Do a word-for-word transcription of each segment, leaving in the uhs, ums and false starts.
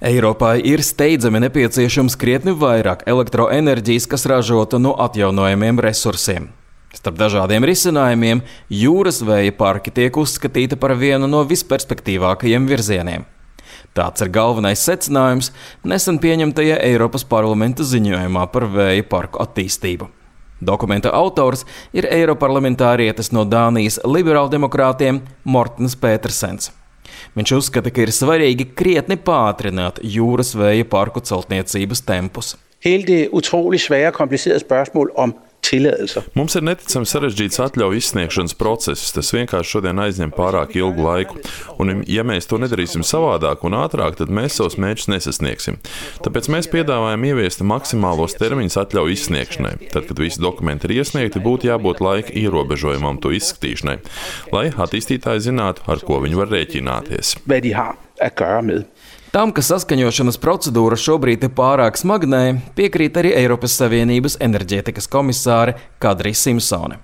Eiropai ir steidzami nepieciešams krietni vairāk elektroenerģijas, kas ražota no atjaunojamiem resursiem. Starp dažādiem risinājumiem jūras vēja parki tiek uzskatīti par vienu no visperspektīvākajiem virzieniem. Tāds ir galvenais secinājums nesen pieņemtajā Eiropas parlamenta ziņojumā par vēja parku attīstību. Dokumenta autors ir eiroparlamentārietis no Dānijas liberāldemokrātiem Mortens Petersens. Viņš uzskata, ka ir svarīgi krietni pātrināt jūras vēja parku celtniecības tempus. Hele det utrolig svære og komplicerede spørgsmål om tilladelser. Mums ir neticami sarežģīts atļauju izsniegšanas process. Tas vienkārši šodien aizņem pārāk ilgu laiku. Un, ja mēs to nedarīsim savādāk un ātrāk, tad mēs savus mērķus nesasniegsim. Tāpēc mēs piedāvājam ieviest maksimālos termiņus atļauju izsniegšanai. Tad, kad visi dokumenti ir iesniegti, būtu jābūt laika ierobežojumam to izskatīšanai, lai attīstītāji zinātu, ar ko viņi var rēķināties. Hvad de har at gøre med. Tam, ka saskaņošanas procedūra šobrīd ir pārāk smagnēja, piekrīt arī Eiropas Savienības enerģētikas komisāre Kadri Simpsone.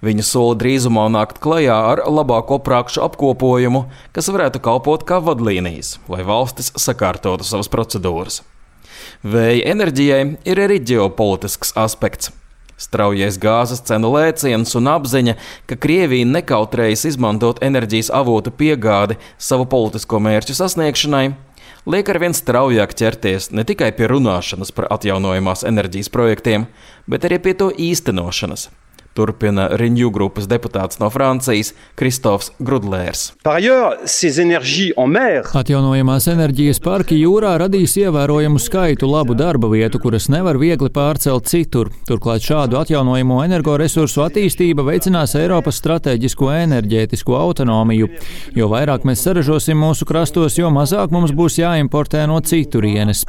Viņa sola drīzumā nākt klajā ar labāko prakšu apkopojumu, kas varētu kalpot kā vadlīnijas, lai valstis sakārtotu savas procedūras. Vēja enerģijai ir arī ģeopolitisks aspekts. Straujais gāzes cenu lēciens un apziņa, ka Krievija nekautrējas izmantot enerģijas avotu piegādi savu politisko mērķu sasniegšanai, liek arvien straujāk ķerties ne tikai pie runāšanas par atjaunojamās enerģijas projektiem, bet arī pie to īstenošanas. Turpina Renew grupas deputāts no Francijas Kristofs Grudlērs. Atjaunojamās enerģijas parki jūrā radīs ievērojamu skaitu labu darba vietu, kuras nevar viegli pārcelt citur. Turklāt šādu atjaunojamo energoresursu attīstība veicinās Eiropas stratēģisko enerģētisko autonomiju. Jo vairāk mēs saražosim mūsu krastos, jo mazāk mums būs jāimportē no citurienes.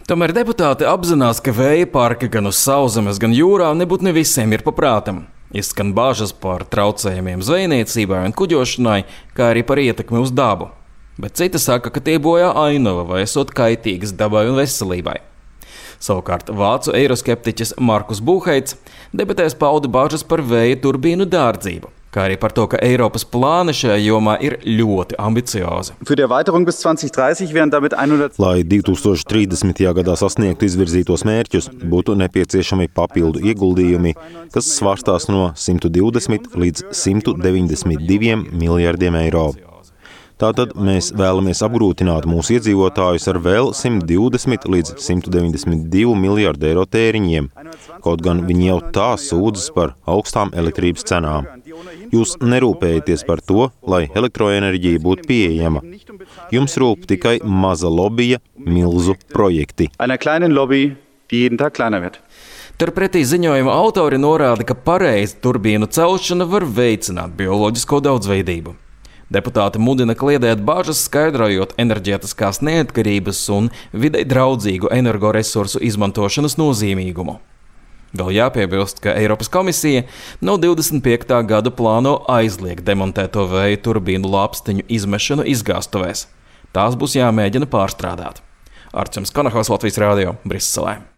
Tomēr deputāti apzinās, ka vēja parki gan uz sauszemes, gan jūrā nebūtu ne visiem ir paprātam. Izskan bāžas par traucējumiem zvejniecībai un kuģošanai, kā arī par ietekmi uz dabu. Bet citi saka, ka tie bojā ainava vai esot kaitīgas dabai un veselībai. Savukārt vācu eiroskeptiķis Markus Buheits debatēs pauda bāžas par vēja turbīnu dārdzību, kā arī par to, ka Eiropas plāni šajā jomā ir ļoti ambiciozi. Lai divi tūkstoši trīsdesmitajā gadā sasniegtu izvirzītos mērķus, būtu nepieciešami papildu ieguldījumi, kas svārstās no simt divdesmit līdz simt deviņdesmit diviem miljardiem eiro. Tātad mēs vēlamies apgrūtināt mūsu iedzīvotājus ar vēl simt divdesmit līdz simt deviņdesmit divu miljardu eiro tēriņiem, kaut gan viņi jau tā sūdzas par augstām elektrības cenām. Jūs nerūpējaties par to, lai elektroenerģija būtu pieejama. Jums rūp tikai maza lobija, milzu projekti. Turpretī ziņojuma autori norāda, ka pareiza turbīnu celšana var veicināt bioloģisko daudzveidību. Deputāti mudina kliedēt bāžas, skaidrojot enerģētiskās neatkarības un videi draudzīgu energoresursu izmantošanas nozīmīgumu. Vēl jāpiebilst, ka Eiropas komisija no divdesmit piektā gada plāno aizliegt demontēto vēja turbīnu lāpstiņu izmešanu izgāstuvēs. Tās būs jāmēģina pārstrādāt. Arčuns Kanahos, Latvijas Rādio, Briselē.